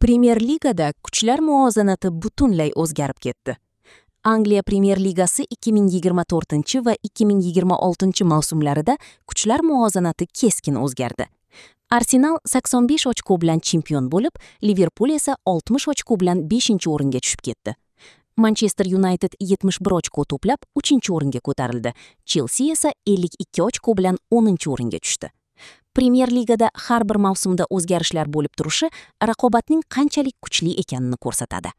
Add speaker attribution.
Speaker 1: Premyer Ligada kuchlar muvozanati butunlay o'zgarib ketdi. Angliya Premyer Ligasi 2024 va 2026 mavsumlarida kuchlar muvozanati keskin o'zgardi. Arsenal 85 ochko bilan chempion bo'lib, Liverpul esa 60 ochko bilan 5-o'ringa tushib ketdi. Manchester United 71 ochko to'plab 3-o'ringa ko'tarildi. Chelsea esa 52 ochko bilan 10-o'ringa tushdi. Premyer Ligada har bir mavsumda o'zgarishlar bo'lib turishi raqobatning qanchalik kuchli ekanini ko'rsatadi.